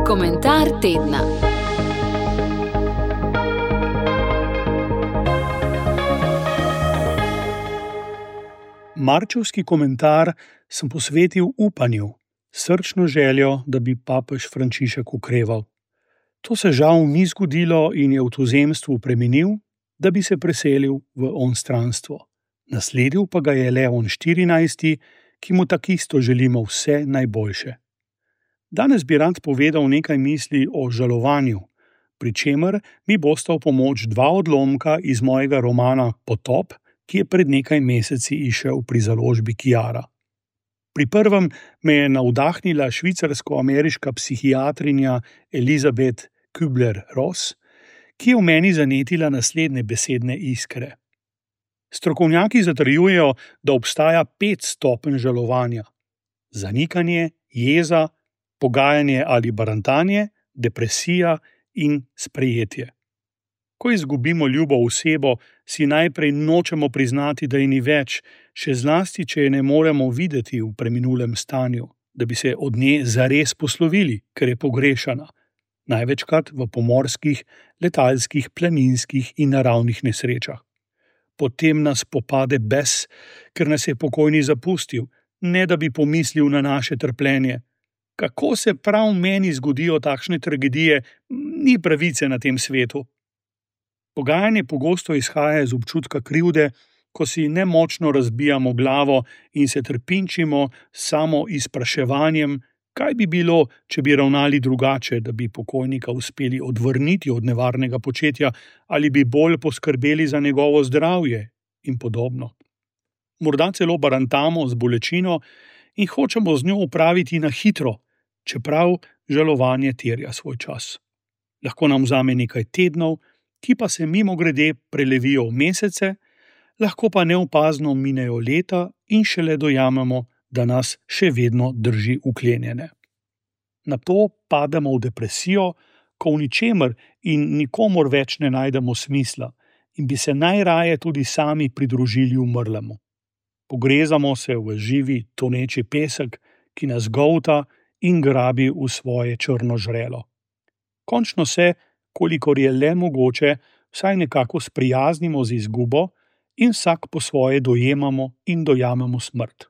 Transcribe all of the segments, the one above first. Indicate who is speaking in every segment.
Speaker 1: Komentar tedna.
Speaker 2: Marčevski komentar sem posvetil upanju, srčno željo, da bi papež Frančišek okreval. To se žal ni zgodilo in je v tuzemstvu preminil, da bi se preselil v onstranstvo. Nasledil pa ga je Leon XIV, ki mu takisto želimo vse najboljše. Danes bi rad povedal nekaj misli o žalovanju, pri čemer mi bosta v pomoč dva odlomka iz mojega romana Potop, ki je pred nekaj meseci izšel pri založbi Kiara. Pri prvem me je navdahnila švicarsko-ameriška psihiatrinja Elizabeth Kübler-Ross, ki je v meni zanetila naslednje besedne iskre. Strokovnjaki zatrjujejo, da obstaja 5 stopenj žalovanja: zanikanje, jeza, pogajanje ali barantanje, depresija in sprejetje. Ko izgubimo ljubo osebo, si najprej nočemo priznati, da je ni več, še zlasti, če je ne moremo videti v preminulem stanju, da bi se od nje zares poslovili, ker je pogrešana, največkrat v pomorskih, letalskih, planinskih in naravnih nesrečah. Potem nas popade bes, ker nas je pokojni zapustil, ne da bi pomislil na naše trpljenje. Kako se prav meni zgodijo takšne tragedije, ni pravice na tem svetu. Pogajanje pogosto izhaja iz občutka krivde, ko si nemočno razbijamo glavo in se trpinčimo samo izpraševanjem, kaj bi bilo, če bi ravnali drugače, da bi pokojnika uspeli odvrniti od nevarnega početja ali bi bolj poskrbeli za njegovo zdravje in podobno. Morda celo barantamo z bolečino in hočemo z njo upraviti na hitro, čeprav žalovanje terja svoj čas. Lahko nam vzame nekaj tednov, ki pa se mimogrede prelevijo v mesece, lahko pa neopazno minejo leta in šele dojamemo, da nas še vedno drži uklenjene. Nato pademo v depresijo, ko v ničemer in nikomur več ne najdemo smisla in bi se najraje tudi sami pridružili umrlemu. Pogrezamo se v živi, toneči pesek, ki nas golta in grabi v svoje črno žrelo. Končno se, kolikor je le mogoče, vsaj nekako sprijaznimo z izgubo in vsak po svoje dojemamo in dojamemo smrt.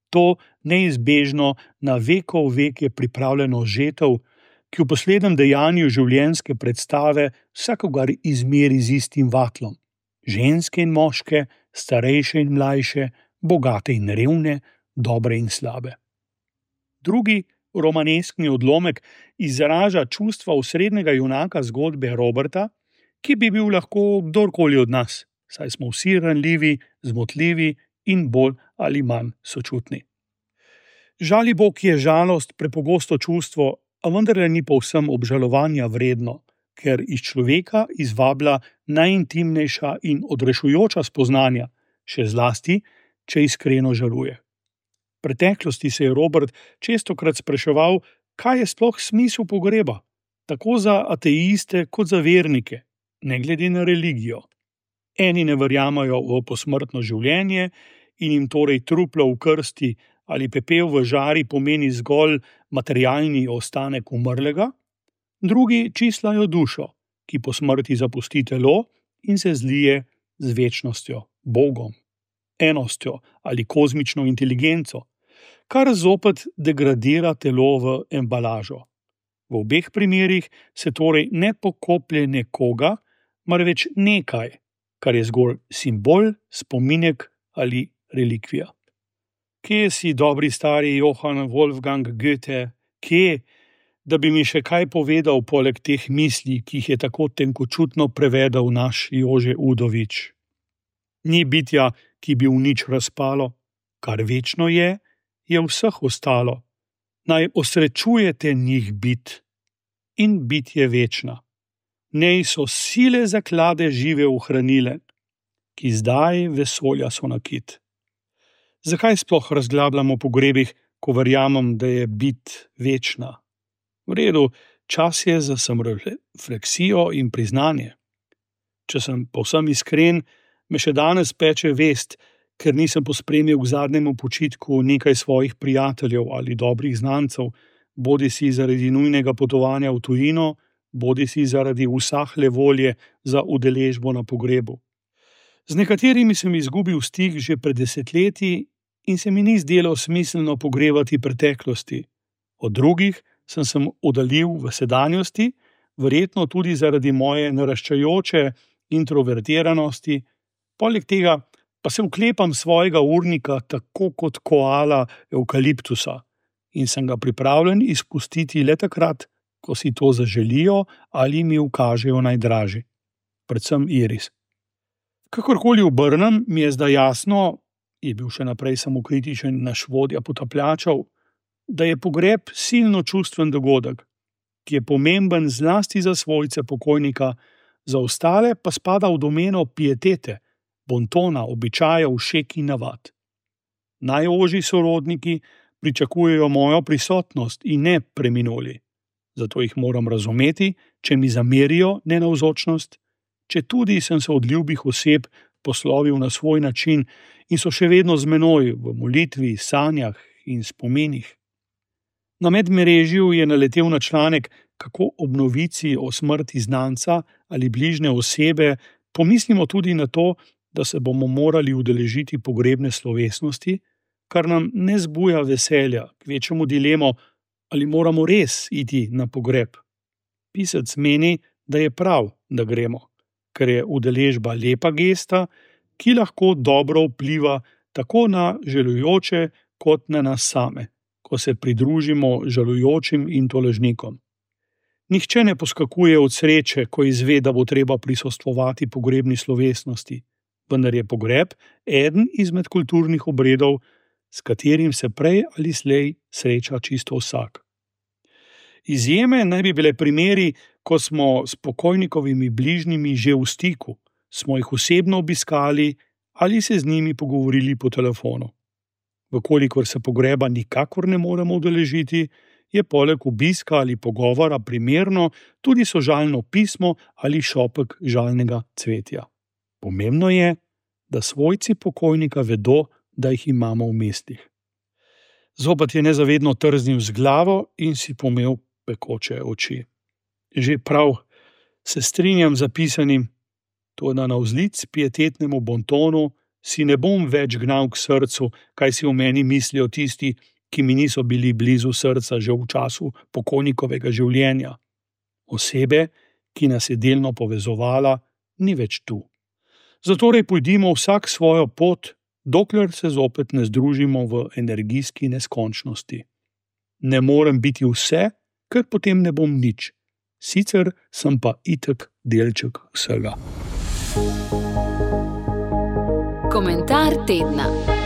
Speaker 2: To neizbežno na vekov veke pripravljeno žetev, ki v poslednjem dejanju življenjske predstave vsakogar izmeri z istim vatlom. Ženske in moške, starejše in mlajše, bogate in revne, dobre in slabe. Drugi romaneskni odlomek izraža čustva osrednjega junaka zgodbe Roberta, ki bi bil lahko kdorkoli od nas, saj smo vsi ranljivi, zmotljivi in bolj ali manj sočutni. Žalibok je žalost prepogosto čustvo, a vendarle ni povsem obžalovanja vredno, ker iz človeka izvablja najintimnejša in odrešujoča spoznanja, še zlasti, če iskreno žaluje. V preteklosti se je Robert čestokrat spraševal, kaj je sploh smisel pogreba, tako za ateiste kot za vernike, ne glede na religijo. Eni ne verjamajo v posmrtno življenje in jim torej truplo v krsti ali pepel v žari pomeni zgolj materialni ostanek umrlega, drugi čislajo dušo, ki po smrti zapusti telo in se zlije z večnostjo, Bogom, enostjo ali kozmično inteligenco, kar zopet degradira telo v embalažo. V obeh primerih se torej ne pokoplje nekoga, marveč nekaj, kar je zgolj simbol, spominek ali relikvija. Kje si, dobri stari Johann Wolfgang Goethe, kje, da bi mi še kaj povedal poleg teh misli, ki jih je tako tenkočutno prevedel naš Jože Udovič? Ni bitja, ki bi v nič razpalo, kar večno je vseh ostalo. Naj osrečujete njih bit in bit je večna. Nej so sile zaklade žive ohranile, ki zdaj vesolja so nakit. Zakaj sploh razglabljamo po pogrebih, ko verjamem, da je bit večna? V redu, čas je za samorefleksijo in priznanje. Če sem povsem iskren, me še danes peče vest, ker nisem pospremil k zadnjemu počitku nekaj svojih prijateljev ali dobrih znancev, bodisi zaradi nujnega potovanja v tujino, bodisi zaradi usahle volje za udeležbo na pogrebu. Z nekaterimi sem izgubil stik že pred desetletji in se mi ni zdelo smiselno pogrevati preteklosti. Od drugih sem se oddaljil v sedanjosti, verjetno tudi zaradi moje naraščajoče introvertiranosti, poleg tega pa se vklepam svojega urnika tako kot koala evkaliptusa in sem ga pripravljen izpustiti le takrat, ko si to zaželijo ali mi ukažejo najdražji, predvsem iris. Kakorkoli obrnem, mi je zdaj jasno, je bil še naprej samokritičen naš vodja potapljačev, da je pogreb silno čustven dogodek, ki je pomemben zlasti za svojce pokojnika, za ostale pa spada v domeno pietete, bontona, običajev, šek in navad. Najožji sorodniki pričakujejo mojo prisotnost in ne preminuli. Zato jih moram razumeti, če mi zamerijo nenavzočnost, če tudi sem se od ljubih oseb poslovil na svoj način in so še vedno z menoj v molitvi, sanjah in spominih. Na medmrežju je naletel na članek, kako ob novici o smrti znanca ali bližnje osebe pomislimo tudi na to, da se bomo morali udeležiti pogrebne slovesnosti, kar nam ne zbuja veselja, kvečjemu dilemo, ali moramo res iti na pogreb. Pisec meni, da je prav, da gremo, ker je udeležba lepa gesta, ki lahko dobro vpliva tako na žalujoče kot na nas same, ko se pridružimo žalujočim in tolažnikom. Nihče ne poskakuje od sreče, ko izve, da bo treba prisostvovati pogrebni slovesnosti, vendar je pogreb eden izmed kulturnih obredov, s katerim se prej ali slej sreča čisto vsak. Izjeme naj bi bile primeri, ko smo s pokojnikovimi bližnjimi že v stiku, smo jih osebno obiskali ali se z njimi pogovorili po telefonu. Vkolikor se pogreba nikakor ne moremo udeležiti, je poleg obiska ali pogovora primerno tudi sožalno pismo ali šopek žalnega cvetja. Pomembno je, da svojci pokojnika vedo, da jih imamo v mislih. Zopet je nezavedno trznil z glavo in si pomel pekoče oči. Že prav, se strinjam z zapisanim, toda navzlic pietetnemu bontonu si ne bom več gnal k srcu, kaj si v meni mislijo tisti, ki mi niso bili blizu srca že v času pokojnikovega življenja. Osebe, ki nas je delno povezovala, ni več tu. Zatorej pojdimo vsak svojo pot, dokler se zopet ne združimo v energijski neskončnosti. Ne morem biti vse, ker potem ne bom nič. Sicer sem pa itak delček vsega.
Speaker 1: Komentar tedna.